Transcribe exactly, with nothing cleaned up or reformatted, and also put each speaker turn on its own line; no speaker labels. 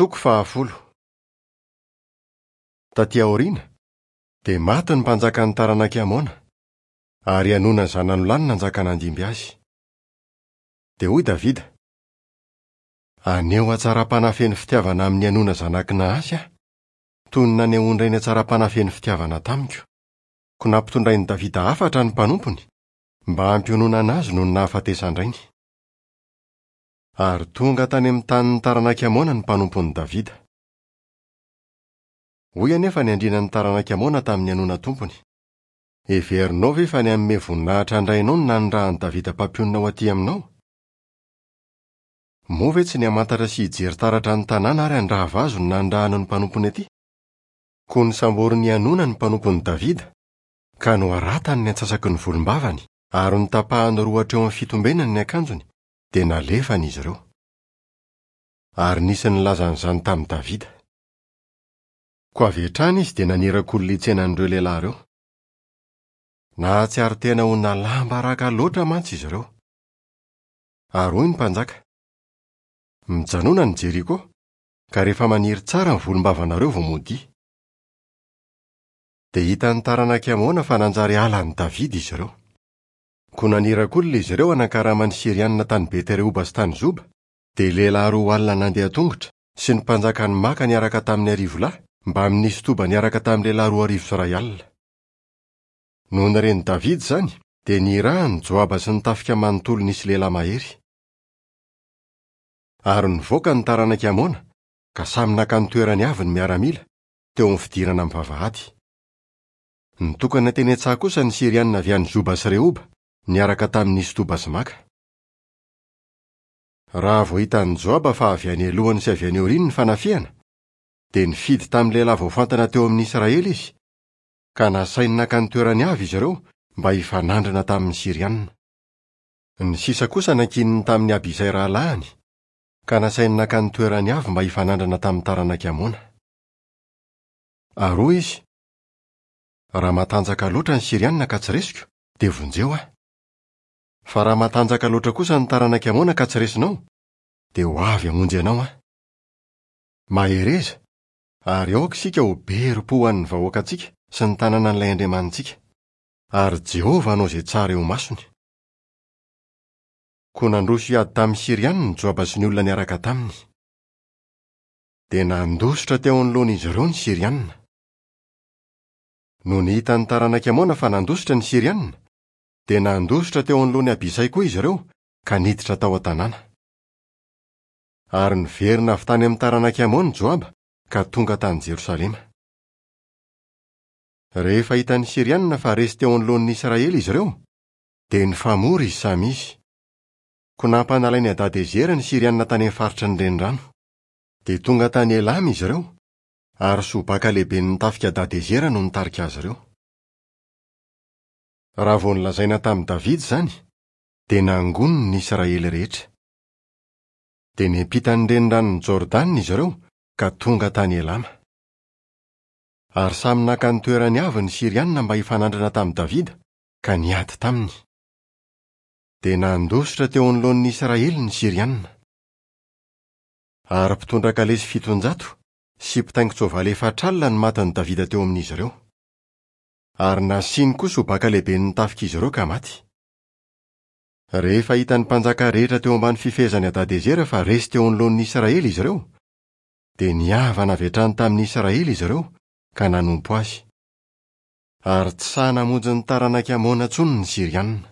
Toko fahafolo. Taty aoriana, dia maty ny mpanjakan'ny taranak'i Amona, ary Hanona zanany lahy no nanjaka nandimby azy. Dia hoy Davida: "Haneho hatsaram-panahy feno fitiavana amin'i Hanona zanak'i Nahasy aho, toy ny nanehoan-drainy hatsaram-panahy feno fitiavana tamiko." Koa nampitondrain'i Davida hafatra ny mpanompony mba hampiononana azy noho ny nahafatesan-drainy. Ary tonga tany amin'ny tanin'ny taranak'i Amona ny mpanompon'i Davida. Hoy anefa ny andrianan'ny taranak'i Amona tamin'i Hanona tompony: "Heverinao ve fa ny hanome voninahitra an-drainao no nanirahan'i Davida mpampionona ho aty aminao? Moa ve tsy ny hamantatra sy hijery taratra ny tanàna ary handrava azy no nanirahany ny mpanompony aty?" Koa nosamborin'i Hanona ny mpanompon'i Davida, ka noharatany ny antsasaky ny volombavany ary notapahany roa hatreo amin'ny fitombenany ny akanjony, dia nalefany izy ireo. Ary nisy nilaza an'izany tamin'i Davida. Koa avy hatrany izy dia naniraka olona hitsena an'ireo lehilahy ireo. Nahatsiaro tena ho nalam-baraka loatra mantsy izy ireo. Ary hoy ny mpanjaka: "Mijanona any Jeriko, ka rehefa maniry tsara ny volombavanareo vao modia." Dia hitan'ny taranak'i Amona fa nanjary halan'i Davida izy ireo. Koa naniraka olona izy ireo hanankarama ny Sirianina tany Beterehoba sy tany Zoba, dia lehilahy roa alina nandeha tongotra sy ny mpanjakan'i Maka niaraka tamin'ny arivo lahy mbamin'ny Istoba niaraka tamin'ny lehilahy roa arivo sy iray alina. Nony ren'i Davida izany, dia nirahany Joaba sy ny tafika manontolo nisy lehilahy mahery. Ary nivoaka ny taranak'i Amona, ka samy naka ny toerany avy ny miaramila, teo amin'ny fidirana amin'ny vavahady. Nitokana teny an-tsaha kosa ny Sirianina avy any Zoba sy Rehoba, niaraka tamin'ny Istoba sy Maka. Raha vao hitan'i Joaba fa avy any alohany sy avy any aoriany ny fanafihana, dia nifidy tamin'ny lehilahy voafantana teo amin'ny Israely izy, ka nasainy naka ny toerany avy izy ireo mba hifanandrina tamin'ny Sirianina. Ny sisa kosa nankininy tamin'i Abisay rahalahiny, ka nasainy naka ny toerany avy mba hifanandrina tamin'ny taranak'i Amona. Ary hoy izy: "Raha matanjaka loatra ny Sirianina ka tsy resiko, dia vonjeo aho. Fa raha matanjaka loatra kosa ny taranak'i Amona ka tsy resinao, dia ho avy hamonjy anao aho. Mahereza, ary aoka isika ho be herim-po ho an'ny vahoakantsika sy ny tanànan'ilay Andriamanitsika, ary Jehovah hanao izay tsara eo imasony." Koa nandroso hiady tamin'ny Sirianina Joaba sy ny olona niaraka taminy. Dia nandositra teo anoloan'izy ireo ny Sirianina. Nony hitan'ny taranak'i Amona fa nandositra ny Sirianina, dia nandositra teo anoloan'i Abisay koa izy ireo ka niditra tao an-tanàna. Ary niverina avy tany amin'ny taranak'i Amona Joaba ka tonga tany Jerosalema. Rehefa hitan'ny Sirianina fa resy teo anoloan'ny Israely izy ireo, dia nifamory izy samy izy. Koa nampanalain'i Hadadezera ny Sirianina tany amin'ny faritry ny renirano. Dia tonga tany Elama izy ireo, ary Sobaka lehiben'ny tafika Hadadezera no nitarika azy ireo. Raha vao nolazaina tamin'i Davida izany, dia nangoniny ny Israely rehetra. Dia niampita ny reniranon'i Jordana izy ireo ka tonga tany Elama. Ary samy naka ny toerany avy ny Sirianina mba hifanandrina tamin'i Davida, ka niady taminy. Dia nandositra teo anoloan'ny Israely ny Sirianina. Ary mpitondra kalesy fitonjato sy mpitaingin-tsoavaly efatra alina no matin'i Davida teo amin'izy ireo. Ary nasiany koa Sobaka lehiben'ny tafik'izy ireo ka maty. Rehefa hitan'ny mpanjaka rehetra teo ambany fifehezan'i Hadadezera fa resy teo anoloan'ny Israely izy ireo, dia nihavana avy hatrany tamin'ny Israely izy ireo ka nanompo azy. Ary tsy sahy namonjy ny taranak'i Amona intsony ny Sirianina.